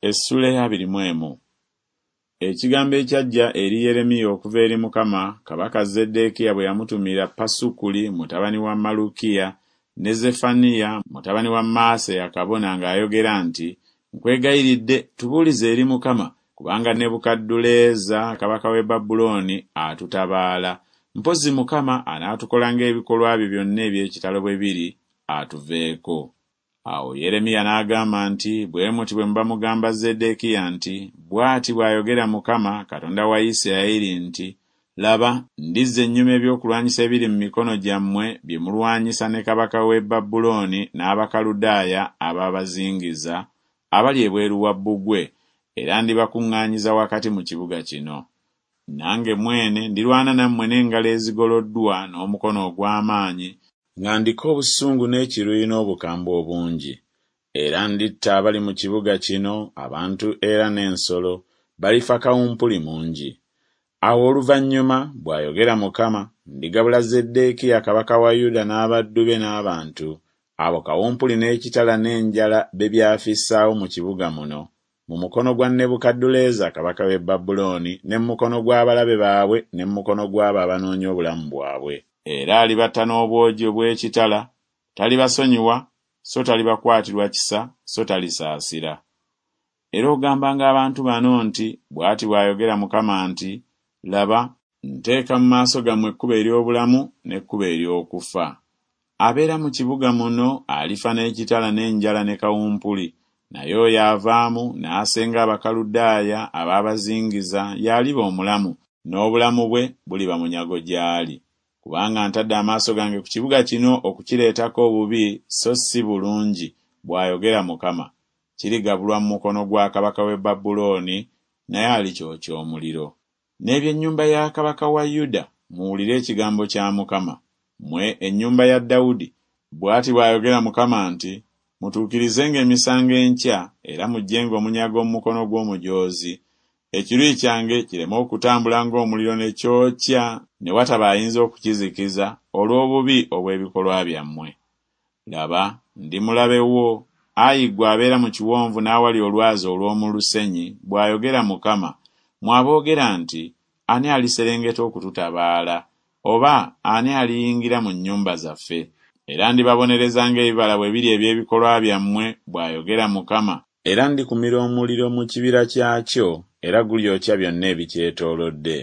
Essuula ey'abiri mu emu. Ekigambo ekyajja eri Yeremiya okuva eri Mukama, kabaka Zeddeekiya bwe yamutumira Pasukuli mutabani wa Malukiya ne Zeffaniya mutabani wa Maaseya kabona ng'ayogera nti, Nkwegayiridde tubuulize eri Mukama, kubanga Nebukadduleeza kabaka w'e Babulooni atutabaala, mpozzi Mukama anaatukola ng'ebikolwa bye byonna eby'ekitalo bwe biri, atuveeko. Awo Yeremiya n'agamba nti, Bwe muti bwe muba mugamba Zeddeekiya nti, 'Bw'ati bw'ayogera Mukama, Katonda wa Isirayiri nti, Laba, ndizza ennyuma ebyokulwanyisa ebiri mu mikono gyammwe bye mulwanyisa ne kabaka w'e Babulooni n'Abakaludaaya ababazingiza, abali ebweru wa bbugwe, era ndibakuŋŋaanyiza wakati mu kibuga kino. Nange mwene ndirwana nammwe n'engalo ezigoloddwa n'omukono ogw'amaanyi, nga ndiko obusungu n'ekiruyi n'obukambwe obungi, era nditta abali mu kibuga kino, abantu era n'ensolo, balifa kawumpuli mungi. Awo oluvannyuma, bw'ayogera Mukama, ndigabula Zeddeekiya kabaka wa Yuda n'abaddu be n'abantu, abo kawumpuli n'ekitala n'enjala be byafissaawo mu kibuga muno, mu mukono gwa Nebukadduleeza kabaka w'e Babulooni ne mu mukono gw'abalabe baabwe ne mu mukono gw'abo abanoonya obulamu bwabwe. Era alibatta n'obwogi obw'ekitala, talibasonyiwa, so talibakwatirwa kisa, so talisaasira. Era ogambanga abantu bano nti, Bw'ati bw'ayogera Mukama nti, Laba, nteeka mu maaso gammwe ekkubo ery'obulamu n'ekkubo ery'okufa. Abeera mu kibuga muno alifa n'ekitala n'enjala ne kawumpuli, naye oyo avaamu n'asenga Abakaludaaya abaabazingiza y'aliba omulamu, n'obulamu bwe buliba munyago gy'ali. Kubanga ntadde amaaso gange ku kibuga kino okukireetako obubi so si bulungi, bw'ayogera Mukama, kirigabulwa mu mukono gwa kabaka w'e Babulooni, naye alikyokya omuliro. N'eby'ennyumba ya kabaka wa Yuda, muwulire ekigambo kya Mukama. Mmwe ennyumba ya Dawudi, bw'ati bw'ayogera Mukama nti, Mutuukirizenga emisango enkya, era muggyenga omunyago mu mukono gw'omujoozi, ekiruyi kyange kireme okutambula ng'omuliro ne kyokya ne wataba ayinza okukizikiza olw'obubi obw'ebikolwa byammwe. Laba, ndi mulabe wo, ayi ggwe abeera mu kiwonvu n'awali olwazi olw'omu lusenyi, bw'ayogera Mukama, mmwe aboogera nti, Ani aliserengeta okututabaala, oba ani aliyingira mu nnyumba zaffe? Era ndibabonereza ng'ebibala bwe biri eby'ebikolwa byammwe, bw'ayogera Mukama, era ndikumira omuliro mu kibira kyakyo, era gulyokya byonna ebikyetoolodde.